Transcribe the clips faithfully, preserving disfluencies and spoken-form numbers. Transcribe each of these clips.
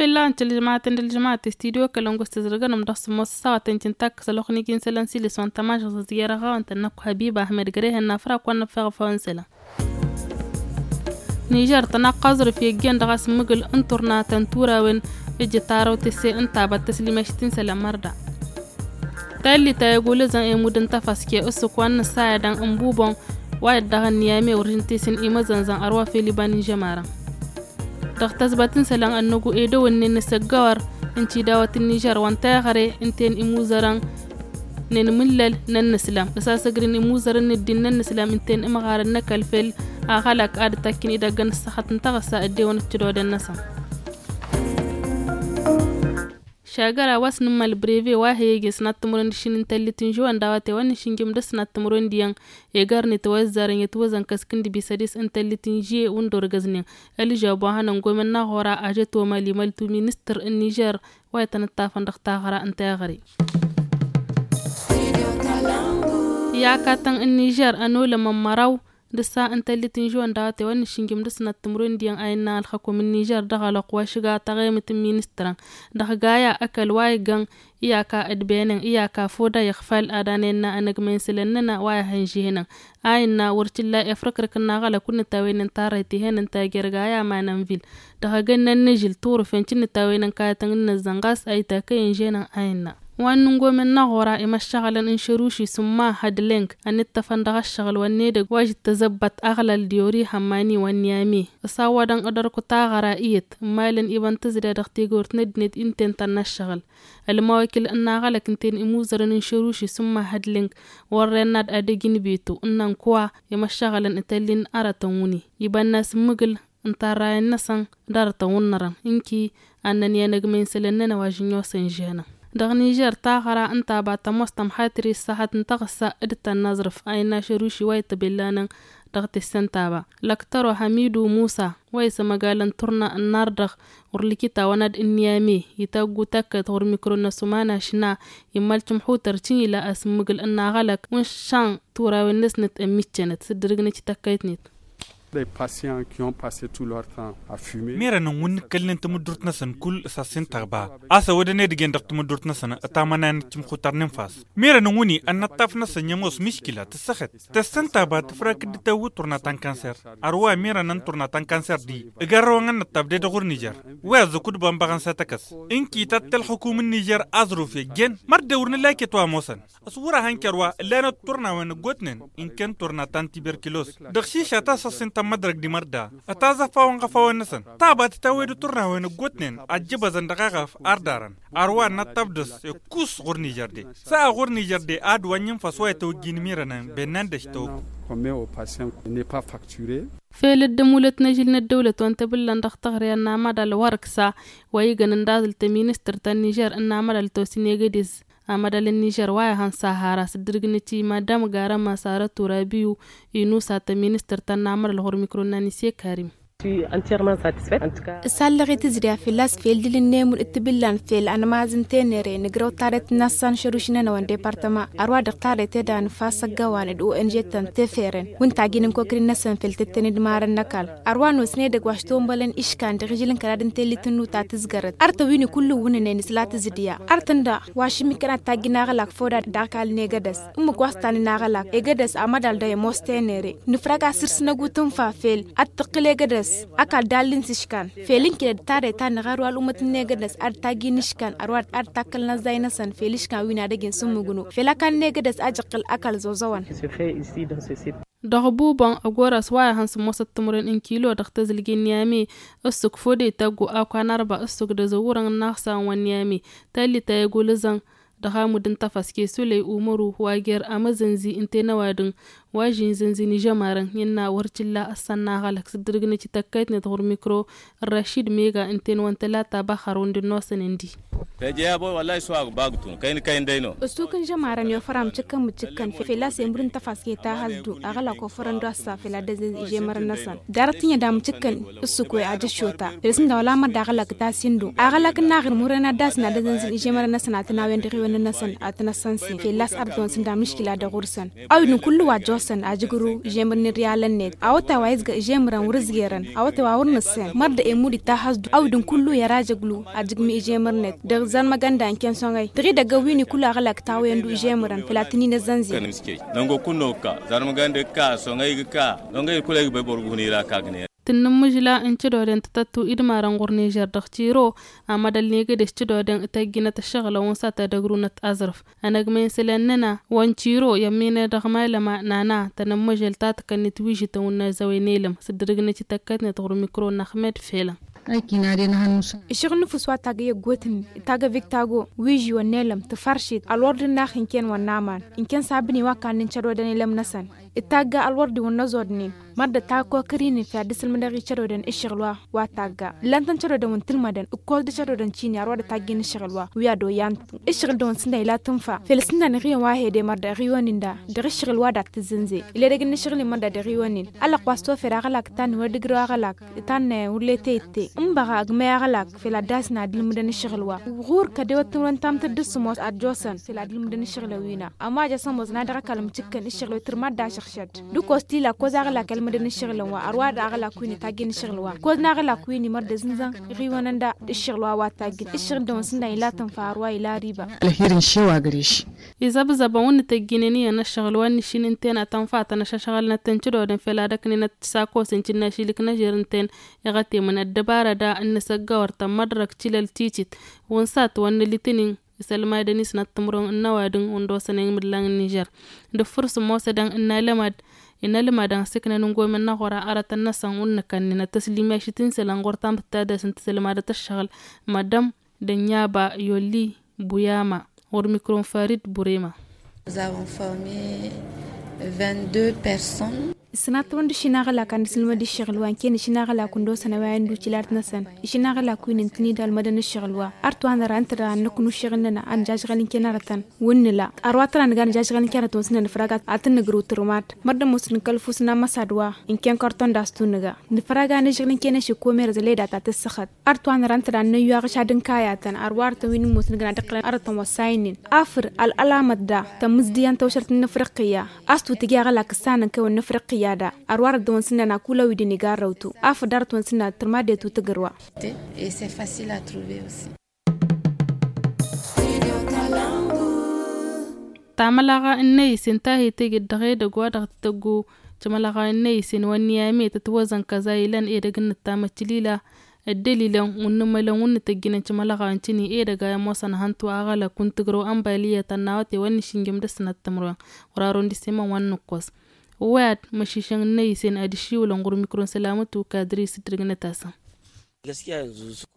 Illa n-tilǝžmatăn d-ălžămat i-studio kăl-ăngus tǝzrǝgăn-nămdăɣ s-ămoos ăssaɣăt n-tintăkk s-ălwăqq n-iji n-isălan s-ilis wa n-tamašăɣt s-ăziyăr ăɣawăn-tăn-năkk habiba ahmed gărehen n-afra kăwăn-năffeɣ făw n-isălan. Nižer tănaqqaẓrǝf i-ăjjeen dăɣ-asǝmmǝgǝl n-turna ta n-turawen ǝjǝt arăw tese ǝnta a-băt tăslimeš ti n-isălan mărda. Tallit a egulăzăn emud n-tafaske ǝssǝk wa n-nǝssayădăn n-bubon wa dd-dăɣ-ănniyame wăr žǝntesăn imăzănzăn ărwa fel iba n-inžămarăn. Dăɣ-tăzbăt n-isălan ănnăgu edăwănnen n-asăggăwăr n-tidawăt n-nižer wa n-teɣăre ǝnta-en imuzărăn n-enmǝllăl n-ănnăslam ăsasăgrǝn imuzărăn n-ǝddin n-ănnăslam ǝnta-en ǝmɣarăn n-ăkall fel aɣălăk ad-dd-takken idăgg n-ǝssăxăt n-taɣǝssa ăddewăn d-tidoden-năsăn. Šagăra wa s-nǝmmal breve wa he-egen s-inattămurăn d-ašin n-tăllit n-žuwăn dawăte wa n-išǝnjǝm dăr-s inattămurăn d-iyyăn egarnet wa ăzzarăn i-ătwăzăn kăsk n-dibisădis n-tăllit n-žie wa n-dd-orgăznen. Ălžab wa hănăn gomăn n-aɣora ažăt omăl imăltu ministăr n-nižer wa itănăttafăn dăɣ-taɣra n-teɣăre. Iyyakatăn n-nižer ănolămăn măraw d-ǝssa n-tăllit n-žuwăn dawăte wa n-išǝnjǝm dăr-s inattămurăn d-iyyăn a innă ălxăkum n-nižer dăɣ-ălwăqq wa šǝga taɣemet n-ministărăn dăɣ-gaya ăkall wa iggăn iyaka d-benen iyaka foda iɣfal ad-anăyănna anăgmăyăn isălan-nănăɣ wa ihăn žihănăn a innă wăr t-illa efrǝkrǝk n-aɣălăk wa n-nǝtawen n-tarrăyt ihănăn tajer gaya manănvil dăɣ-egănna n-ažǝl turǝfen ti n-nǝtawen n-kayătăn n-inăzzăn ɣas a itakăyăn žihănăn a innă. Wa n-nǝngomen n-aɣora imăššăɣǝlăn n-šăruši s-umma hădleng ănittăfăn dăɣ-ăššăɣǝl wa n-edăgg wa žǝttăzăbbăt aɣlal d-ori hămmani wa n-niyame ăsawădăn ad-ărkut aɣăra iyyăt n-imalăn ibăn tǝzda dăɣ-tegăwt n-ăddinăt ǝnta-en tănna ăššăɣǝl. Ălmawăkil n-aɣălăk ǝnta-en imuzărăn n-šăruši s-umma hădleng wărren n-ad-adăj n-beto ǝnnăn kăwa imăššăɣǝlăn ităllin arătăn wǝnni ibănna s-ǝmmǝgǝl n-tarrayăn-năsăn d-arătăn wǝnnărăn ǝnki ad-nănǝy anăgmăy n-isălan-nănăɣ wa žǝnnosăn žihănăn. Dăɣ-nižer taɣăra ǝnta a-ba tămoos tămxatri ǝssăhăt n-taɣǝssa d-tănnaẓrǝf a innă ašăruši wa ităbellanăn dăɣ-tessăn ta ba lăktăro hamidu musa wa isămăgalăn turna n-ardăɣ ɣur-likitawăn ad-ǝnniyame itaggu takkăyt ɣur-mikro n-asumana šna immăl timxutăr ti-ila asǝmmǝgǝl n-aɣălăk wa n-išan turawen-năsnăt ămmiccănăt s-dd-ǝrǝgnăt i-takkăyt-net. Des patients qui ont passé tout leur temps à fumer. Merăn n-wǝnni ǝkkălnen tamǝddurt-năsăn kull s-asǝntăɣba a-s ăwădăn edăgg-en dăɣ-tamǝddurt-năsăn ătamănayăn d-timxutar n-infas. Merăn n-wǝnni ănnăṭṭaf-năsăn i-ămoos miškila tǝssăxet tăssăntăɣba tǝfrak dd-tăwwi turna ta n-kanser. Ărwa merăn n-turna ta n-kanser d-i ǝgarrăwăn ănnăṭṭaf d-edăɣ ɣur-nižer wi ăzzăkud bănbăɣăn s-ad-tăkăs. Ǝnki tattăl xǝkum n-nižer aẓruf i-ăjjeen mărdewăr n-ălakăt wa ămoosăn. Ăswăr-ahăn kărwa ǝllanăt turnawen ăggootnen inkăn turna ta n-tiberkilos. Dăɣ-šiša ta s-ăṣṣintăn mădrăk d-imărda ătaẓăfawăn ɣăfawăn-năsăn. Tabat tawed turnawen ăggootnen ăjjăbăzăn dăɣ-eɣăf ardarăn. Arwa ănnăṭṭaf dăɣ-s ikkus ɣur-nižărde s-a ɣur-nižărde ad-wa n-infas wa itawăjjin imirănăn bennan d-ăštawăg. Fel dd-ămulăt n-ažǝl n-ăddăwlăt wa n-tebǝllan dăɣ-taɣre ănnamăḍal wăr-ǝksa wa igăn ǝndaẓǝl tăministăr ta n-nižer ănnamăḍal tosǝn egădez. Amăḍal n-nižer wa ihăn sahara s-dd-ǝrgǝnăt i-madam garăma sarăt urabiyu inusa tăministăr ta n-amăḍal ɣur-mikro n-anise karim. Ǝsallăɣ i-tǝzda fălla-s fel dǝl-ǝnnemǝl d-tibǝllan fel anmaz n-tenere nǝgrăw tarret-năsăn šăruš-nănăwăn departăma ărwa dăɣ-tarret ed anfas ăgg-ăwanăd o n g-tăn teferen wǝnta a gin n-kokri-năsăn fel tǝttăn d-imarăn n-ăkall. Ărwa n-osne edăgg wa s-tombălăn iškan dăɣ-ižǝl n-kăraḍ n-tellit n-nuta tǝzgărăt artăn wi n-kull-wǝnǝnen s-la tǝzǝdǝya artăn daɣ wa šǝmmikăn ad-tajjǝn aɣlak făw daɣ-ăkall n-egădăs. Ǝmmǝk wa s-tanǝn aɣlak egădăs amăḍal daɣ imoos tenere nǝfrăg asǝrs n-ăgutǝnfa fel ad-tǝqqǝl egădăs ăkall dallin s-iškan fel ǝnkǝdăd tarrăy ta n-iɣar wa ălumăt n-egădăs ad-tajjǝn iškan ărwa ad-takkălăn ăzzay-năsăn fel iškan wi n-ad-ăjǝn s-ǝmmǝgnu fel ăkall n-egădăs a j-iqqǝl ăkall zozoăn. Dăɣ-bubăn ăgg-oras wa ihăn sǝmmosăt timǝrwen n-kilo dăɣ-tezǝlge n-niyame ǝssǝk fode taggu akwa n-arba ǝssǝk d-azăwwurăn n-inaxsawăn wa n-niyame tallit a egulǝzăn dăɣ-amud n-tafăske sulăy umăru wa jer-amăzănzi ǝnta-en ăwadǝm wa žin zănzi n-ižămarăn innă wăr t-illa ăssăn n-aɣălăk s-dd-ǝrgǝnăt i-tăkkayt-net ɣur-mikro n-rašid mega ǝnta-en wa n-tălata băxăr wǝndǝnnosăn ǝndi. Tăjăy abo wăllah iswaq bagtun kăyni kăyni dăyno. Ǝssuk n-žămarăn i-ofăr amǝcǝkkăn mǝcǝkkăn fălla-s i-mud n-tăfas keta hăzdu aɣălak ofărăn d-oassa făll-ad-ăzzez ižemărăn-năsăn. Darăt tǝnyăd amǝcǝkkăn ǝssuk wa ajăššota făll-s ǝnda wăla mădda aɣălak ta s-indu aɣălak n-aɣrǝm wăren ad-dd-asǝn ad-ăzzănzǝn ižemărăn-năsăn ad-tăn-awăn dăɣ-iwăn-năsăn ad-tăn-ăssănsen fălla-s arăt-wăn s-ǝnda mǝškila dăɣ-ursăn. Awǝdǝn kullu wa ăjjoosăn ajǝgrǝw ižemăr n-irriyalăn-net awătay wa izga ižemărăn wăr-ǝzgerăn awătay wa wăr nǝssen mărdăɣ i-mud ittahăs-du awǝdǝn kullu i-ăra jăglu ajǝgmi ižemărnet dăɣ-zărmăgănda ǝnken soŋăy dăɣ-idăgg ăwwin-i kullu aɣălak tawăyăn-du ižemărăn făll-ad-tăn-in-ăzzănzin. Năngo kull n-okka zărmăgănda ikka soŋăy igǝkka. Noŋăy kulăy igbăy băr guhǝn-i ra kagnen. Tǝnnǝmmǝžla n-cădoden tǝtăttu idmarăn ɣur-nižer dăɣ-tiro amădăl n-egădes cădoden tăjjinăt ǝššăɣǝlăn wa n-satădăgrunăt aẓrǝf. Ănăgmăy n-isălan-năna wa n-tiro i-ămminăy dăɣ-malăma nana tănămmăžăl ta tǝkănnit wižităn wa n-azăwen elăm s-dd-dăgg-net ităkkătnet ɣur-mikro n-axmed felăn. Ăššăɣǝl n-ǝfus wa taggăy ăggootnen taggăy viktago wiži wa n-elăm tǝfaršit ălwăr d-ǝnnax ǝnken wa n-aman ǝnken s-abǝni wa kannǝn cădodăn elăm-năsăn. Ǝttagga ălwăr d-iwăn n-ăẓodnen mărdăt ta kokăr-inin făll-ad-dd-sǝlmǝdăɣ i-cădodăn ǝššăɣǝl wa wa tagga. Ǝllan-tăn cădodăn wa n-tǝlmădăn ǝkkoẓ d-cădodăn cini arwa d-taggen ǝššăɣǝl wa wi ad-oyyan-t. Ǝššăɣǝl-dăɣ wa n-sǝnna ila tǝnfa făll-s ǝnda n-iɣiwăn wa hede mărdăt iɣiwăn-in-da dăɣ-ǝššăɣǝl wa d-ad-tǝzzǝnzǝy. Ila edăgg n-ǝššăɣǝl-in mărdăt iɣiwăn-in ăllăɣ wa s-tofed aɣălak ǝtanne wăr dd-ǝgrăw aɣălak ǝtanne wăr letăy ǝtte. Ǝnbăɣ agmăy aɣălak făll-ad-dd-asǝn ad-ǝlmǝdăn ǝššăɣǝl wa ɣur-kădewăt timǝrwen ta n-tǝddǝs sǝmos ad-josăn făll-ad-ǝlmǝdăn ǝššăɣǝl-ăwwina. Ămajăs ămoos n-ad-dăɣ-ăkall mǝcǝkkăn ǝššăɣǝl-wi tǝrmad d-ašăɣšăd d-ǝkkoẓ tila ǝkkoẓ aɣălak i-ălmǝdăn ǝššăɣǝlăn wa ărwa d-aɣălak wi n-itaggen ǝššăɣǝl wa ǝkkoẓ n-aɣălak wi n-imărdăz n-zăn iɣiwăn ănda d-ǝššăɣǝl wa wa taggen ǝššăɣǝl-dăɣ wa n-sǝnna ila tǝnfa ărwa ila riba. Ălxir n-išew agreš. Izăbzăbăn wǝnnǝtăjjinen iyyăn ăššăɣǝl wa n-išin ǝnta-en ad-tăn-fatăn ašăšɣălnăt tăn-cǝdodăn fel ad-ăknenăt s-akos n-cǝnnašilǝk n-ežer ǝnta-en iɣătemăn ăddăbarăd a n-inǝsăggawăr tămmăḍrăk tilăl titit. Wǝnsat wa n-alitǝnin isălmadăn isnăt timǝrwen n-ăwadǝm wa n-dosăn i-imǝllan n-nižer. Dăɣ-făr sǝmmosădăn n-alămad inălmadăn s-iknăn n-gomen n-aɣora arătăn-năsăn wǝnnǝkănnen ad-tăslimyašit n-isălan ɣur-tamtăt ta dăɣ-s n-tǝsălmadăt ăššăɣǝl. Madăm dănyaba yolli buyama ɣur-mikro n-farid burema. Ǝsnat tawăn d-išin aɣălak ad-nǝsǝlmăd ǝššăɣǝl wa ǝnken išin aɣălak wa n-dosăn ăwayăn d-ucilat-năsăn. Išin aɣălak wi n-ǝntǝn-dd ălmădăn ǝššăɣǝl wa ărtǝwa năra ǝnta dăɣ-ad-năknu ǝššăɣǝl-nănăɣ ad-nǝjažɣăl ǝnken arătăn. Wǝnnǝla ărwa tăra nǝga nǝjažɣăl ǝnken arătăn wa s-nănăfrag ad-tăn-nǝgrǝw tǝrmad. Mărdăm wa s-nǝkălfus n-amăsad wa ǝnken kărton d-astu nǝga nǝfrag a nǝžžăɣǝl ǝnken ašǝkkomer zăleda ta tǝssăxăt. Ărtǝwa năra ǝnta dăɣ-ad-năyyu aɣǝšad n-kayatăn ărwa arătăn wi n-ǝmmos nǝgna dăɣ-kălăn arătăn wa s-ayǝnnin. Afǝr ălălamăt da tămǝzdǝyăn tawšărt n-afriqǝyya. A-s tutǝj i-aɣălak ǝssanăn kăy-wăn n-afriqǝyya da. Ărwa arăt dăɣ-wăn s-ǝnnan a kul-awǝy d-iniga ărrăwtu. Afǝr dd-arăt wăn s-ǝnnan tǝrmadăy tutǝgǝrwa. Tamălăɣa n-năyǝsen ta hi-tejăd dăɣ-edăgg wa dăɣ-tătăggu. Tamălăɣa n-năyǝsen wa n-niyame tătwăzăn kăza ilăn edăgg n-nǝttamăt tilila. Ăddălilăn wa n-nǝmălăn wa n-nǝtăjjǝnăn tamălăɣa n-tini edăgg a imoosăn hăntu aɣălăk wa n-tǝgrăw ănbaliyăt ănnawăte wa n-nǝšǝnjăm dăr-sănăt timǝrwen. Wăr-arăwăn d-isemăn wa n-nǝkkoẓ. Ăwwăyăt măšišăn n-năyǝsen ad-ǝššiwǝlăn ɣur-mikro n-sălamătu kadri s-dd-dăgg-năt asăn.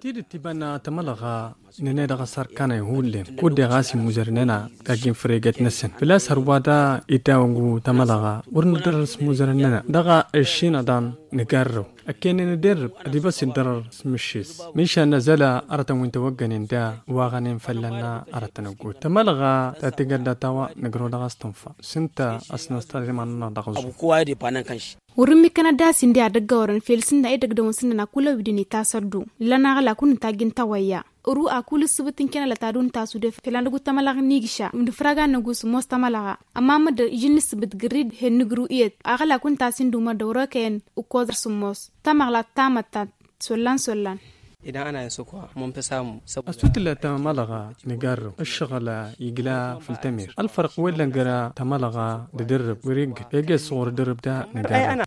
Tidǝt tibănna tamălɣa nănăy dăɣ-asărkanăy hullen kud-deɣ a-s imuzărnen a tajjin făregăt-năsăn făl-a-s hărwa da idawăn gu tamălɣa. Wăr nǝdărăr s-imuzărnen a dăɣ-aššinăḍan nǝgarrăw ăkkăynen d-irrǝb ad-ibas iddărăr s-mǝššis. Mišan năzăla arătăn wi n-tawăggănen da waɣănen fălla-năɣ arătăn ăggootnen tamălɣa ta tigărdăt a-wa nǝgrăw dăɣ-a-s tǝnfa. S-ǝnta a-s năstăr iman-nănăɣ dăɣ-ăẓu. Wăr-ǝmmǝkkănăt d-asin di ad-ăggăwărăn fel s-ǝnna edăgg dăɣ-wăn s-ǝnnăn a kul-ăwwidăn itasăddu. Ǝllan aɣălak wǝnnǝtajj n-tawăyya. Ăru a kul ǝssǝbǝt n-kenălăt ad-wǝnnǝtasudef fel ad-năggut tamălɣa n-igǝša. Nǝfrag ad-năggu sǝmmos tamălɣa. Ămma măddǝn iji n-ǝssǝbǝt gǝrrid hen nǝgrǝw iyyăt aɣălak wǝnnǝtas-in d-umăr dăɣ-wăr-okăyăn ǝkkoẓăr sǝmmos. Tamăɣla tamăttant. Sollan sollan. Ăstu tǝlla tamălɣa nǝgarrăw ǝššăɣǝl igla făll-tămer ălfărq wa illăn găra-tamălɣa d-edărrǝb wăr-iggǝd ege-s ɣur-edărrǝb da nǝgarrăw.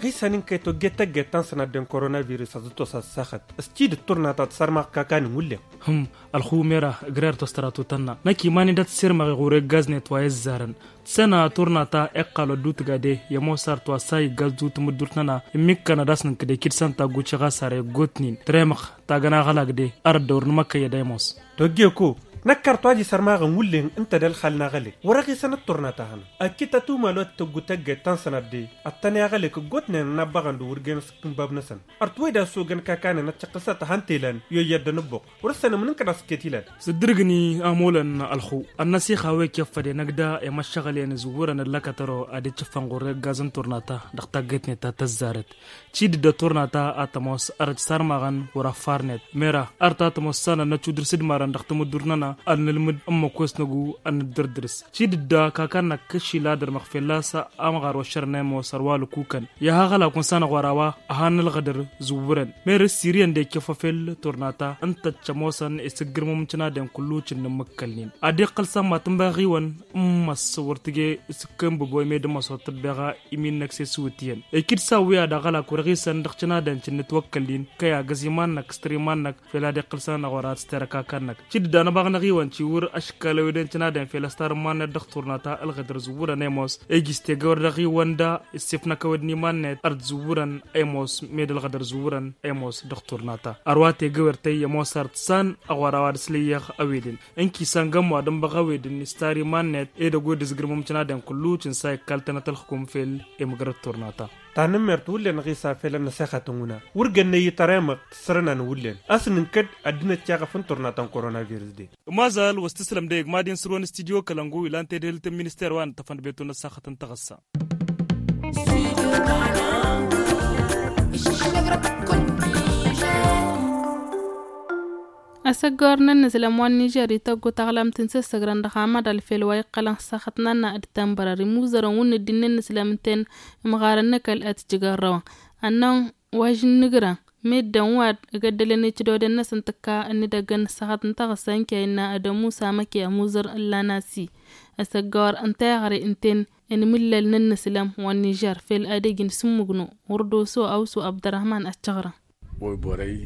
Ɣisăn n-kăy-tojjet tăgget ta n-sănadden koronavirus ad-dd-tos ad-saxăt. S-tidǝt turna ta tǝsărmaɣ kakan n-wullen. Hǝmm. Ălxumera ǝgrer-tos tăra tutănna năkk iman-in da tǝssirmăɣ iɣur'-e gaz-net wa i-ăzzarăn. Tǝsăna turna ta iqqal wăddu-tǝga de i-ămoos arăt wa s-a iggaz du-tamǝddurt-năna. Ǝmmikkăn ad-asnǝnkǝd ekid s-ănta ăgguciɣ a-s ara iggotnen tăremăɣ tagăn aɣălag de. Arăt dăɣ-wăr nǝmăkkăy ad-ăymoos. Tojje ko. Năkk ar t-wa dd-isărmaɣăn wullen ǝnta d-ălxal n-aɣălek wăr-ăɣisăn d-turna ta hănăɣ. Ăkit ătumălot tăggu tăgget ta n-sănadde ăttăneɣălek ǝggootnen ănnabbăɣăn d-wăr gen s-kǝnbab-năsăn. Ărt wăy d-asogăn kakanen ăccăqqǝsăt han telăn i-oyyăt d-anǝbbuq. Wăr-ăssanăm n-inkăḍ a-s iket ilal. S-ǝddǝrǝgni a molăn ălxu ănnăsixa wi ăkkăffăden ăgg da i-măššăɣǝlyen zǝwwǝrăn ăllăkătăro ad-dd-cǝffăn ɣur-eggaz n-turna ta dăɣ-taggetnet ta tăzzarăt. Cidǝdda turna ta a tămoos ărăj sarmaɣăn wăr-affarnet mera ărta tămoos sanăn n-ăcudǝr s-ǝdmarăn dăɣ-tamǝddurt-nănăɣ ad-nǝlmǝd ǝmmǝk wes năgu ad-nǝddărdǝrs. Cidǝdda kakan-năk kăššila dăr-măɣ fella a s-amɣar wăššărnen mos ărwa lăkukăn i-aha ɣălakun sanăɣ wăr-a-wa. Ăha n-ălɣădăr zǝwwǝrăn merăs siriyăn d-ekefăfel turna ta ǝnta d-cămosăn isǝggǝrmăm n-cǝnadăn kullu cǝnnǝmmǝkkălnen ad-iqqăl s-amma tǝnba ɣiwăn. Ǝmmăs wăr tǝje s-kănbǝb wa imed ǝmmăs wăr tǝbbeɣa imin-năk s-e-s iwǝtiyăn. Ikǝd s-awǝya d-aɣălak wăr-ăɣisăn dăɣ-cǝnadăn cǝnnǝtwăkkălnen kăy-agǝz iman-năk s-tăr iman-năk fel ad-iqqǝl s-anăɣ wăr ad-s-terăk akăn-năk. Cǝdda n-abaɣ n-aɣiwăn ciwǝr aškal ăweden cǝnadăn fel ăstar n-iman-net dăɣ-turna ta ălɣădăr zǝwwǝrăn ăymoos iji s-tegăwăr dăɣ-iwăn da issefnăk ăwed n-iman-net ărd zǝwwǝrăn ăymoos. Med ălɣădăr zǝwwǝrăn ăymoos dăɣ-turna ta ărwa tegăwăr tăyy ămoos ărd san ăɣora wa d-ăslăyyăɣ ăweden. Ǝnki săngăm wa dănbăɣ ăwed-ǝnni s-tari iman-net edăgg wi dd-ǝzgǝrmăm cǝnadăn kullu cǝnsa ikkaltănăt ălxǝkum fel emǝgrăt turna ta. Tanǝmmert wullen ɣisa fel ănnăsixăt n-wǝna wăr gănnăy ităr emăɣ tǝssărăna n-wullen a-s nǝnkăd ăddinăt ceɣăf n-turna ta n-korona virus de. Ămazal wa s-tǝslăm dăɣ-egg mad-in sǝrwăn studyo kălăngu ilan tedhelt n-minister wa n-ǝṭṭăfăn d-betu n-ăssaxăt n-taɣǝssa. Asăggor n-ǝnnǝslăm wa n-nižer ităggu taɣlamt n-sǝssăgrăn dăɣ-amăḍal fel wa iqqălăn s-axăt n-anna d-tănbărăr imuzărăn wǝnnǝd d-innǝnnǝslăm n-ten imɣarăn n-ăkall ad-t-jǝgărrăwăn. Ănnăn wa žǝnnǝgrăn meddǝn wa d-igăddălăn icǝdoden-năsăn tǝkka ǝnnǝdăggăn s-axăt n-taɣǝssa n-kăy ǝnna ad-ămusa măke ămuzăr ǝllan-asi. Asăggor ǝnta iɣre ǝnten inmǝllăl n-ǝnnǝslăm wa n-nižer fel ad-ej n-sǝmmǝgnu ɣur-doso awǝsu abdărrăhman ad-căɣrăn. Wăy bărăy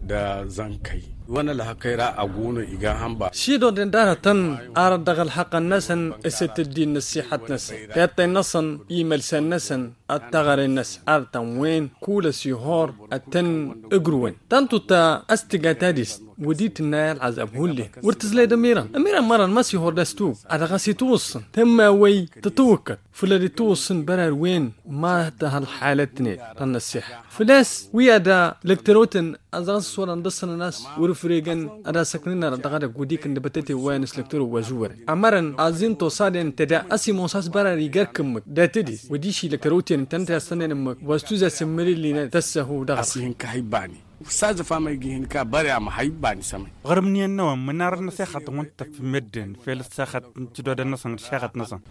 d-azănkăy wăn-ălhăkăy ra ăgunu iga hănba. Šidoden d-arătăn arăt dăɣ-ălhăqqăn-năsăn s-itǝddin n-ăssixăt-năsăn tiṭṭăy-năsăn imălsan-năsăn ad-taɣăre-năsăn arătăn wen kull ăsihor ad-tăn-ǝgrǝwăn. Tantut a-s tǝga tadist wădit ǝnna i-ălɣăzab hullen wăr tǝzlăy d-ămirăn ămirăn mărăn ma s-ihor d-ăstug ad-dăɣ-s itwǝssǝn tămma wăy tătwǝkkăt făll-ad-itwǝssǝn bărăr wen ma tăha ălxalăt-net ta n-ăssiḥa. Făl-a-s wi ad-lăktărotăn ad-dăɣ-s iswăḍăn dăɣ-săn ănas wăr-ǝfregăn ad-asăknăn arăt dăɣ-edăgg wădikăn d-bătăte wa n-s lăktăro wa zuwărăn ămărăn aẓin tosaden tăda a-s imoos a-s bărăr igar kǝmmǝk dat-dd-s wădiši lăktăroten ǝntănăt i-ad-sănnen ǝmmǝk wa s-tuzas ǝmmǝlǝllinăt tăssăhu dăɣ-s. Ihǝnka hibani. Sazăf amăygi ihǝnka bărăy amăhăy bani sămăy. Ɣărmǝniyăn n-ewăn mǝnarăr n-asixăt n-wăn tăfmedden fel asixăt n-tǝdodăn-năsăn d-asixăt-năsăn.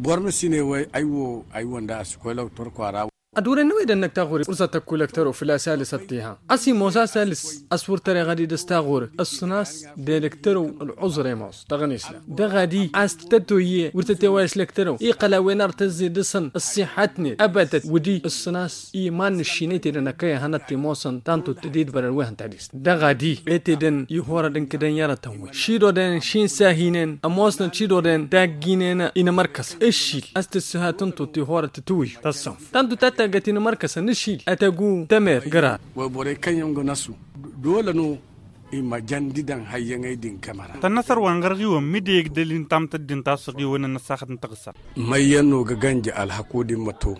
Bormăsine wăy aywo aywăn da asǝkwălăw turkwara. Ad-wăren n-ewedăn năkk taɣuri urzăt ăkku lăktăro făl-a-s alǝs ăttiha a-s imoos a-s alǝs a-s wăr tăreɣ ad-idăs taɣuri ǝssǝn-as d-elăktăro ălɣuzăr emos dăɣ-anisla dăɣ-ad-i a-s tătoyye wăr tătewayăs lăktăro iqqăl a-wen ar tăzzidăsăn ăṣṣiḥătnet ăbatăt wădi ǝssǝn-as iman n-ǝššinăy tedăn ăkkăy ehăn ăttimoosăn tantut d-idbărăn wi hăn tadist dăɣ-ad-i e tedăn ihorăd n-kădăn i-arătăn wi šidoden šin sahinen ămoosnăt šidoden tagginen inămărkăsăn ǝššil a-s tǝssǝha tǝntut ihorăd tǝtwǝyyu tăssănf tantut a taggăt inămărkăsăn ǝššil ătăgu tămer gărar. Wăy bărăy kăyyăn gănăsu dolăn-o imăjăn didăn hayyăn ăydin kămăra. Tănnăsăr wa n-ɣărɣiwăn mide igdăl-in tamtăddin ta s-ăɣiwăn n-ăssaxăt n-taɣǝssa. Măyyăn-o găgănj ălhăku d-immăto.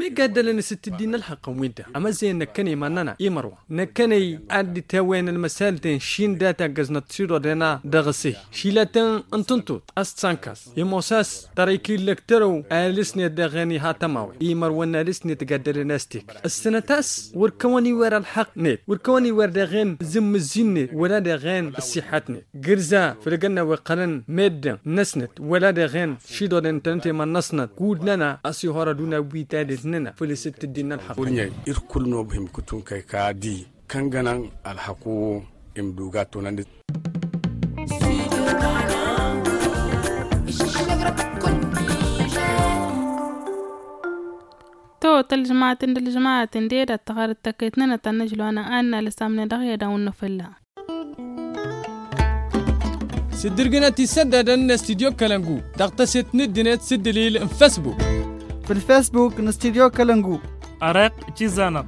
Migga ăddălăn s-tǝddin n-ălxăqqăn wi-dăɣ ămăzzăyăn năkkănăy iman-nănăɣ imărwa năkkănăy ad-dd-tawăyăn ălmăsalten šin data ăggăznăt s-iḍoḍen-a dăɣ-s-e-hi. Šilatăn n-tǝnṭuḍt a-s tsankas imoos a-s tărăyki n-lăktărăw a ălǝsnet dăɣ-en iha tămawen imărwăn n-alǝsnet găddălăn a-s tekăy ǝssǝnăt a-s wăr kăwăn-i wer ălxăqq-net wăr kăwăn-i wer dăɣ-en zǝmmǝzzi-net wăla dăɣ-en ăṣṣiḥăt-net. Gǝrza făll-egănna wa iqqălăn meddǝn-năsnăt wăla dăɣ-en šiḍoḍen ǝntănăt i-iman-năsnăt kud-nănăɣ a-s ihor ăduna wi tadelt-nănăɣ făll-s dd-tǝddin n-ălxăqq. Wăr n-e-i irkul n-obhǝm kǝtun kăy-kadi kăngănăn ălxăqq-o imduga tunăn-dd. To tălžmaten d-ălžmaten d-e-d ad-tăɣăr d-tăkăyt-nănăɣ ta n-ăžloanăɣ a innă alăsam-net dăɣ-i ad-awǝnnăfălla. S-dd-irgǝnăt isăddadăn n-studyo kălăngu dăɣ-tăset n-ăddinăt s-dd-ǝlil n-fesbuk. Făll-fesbuk n-studyo kălăngu. Ăreq cizanăɣ.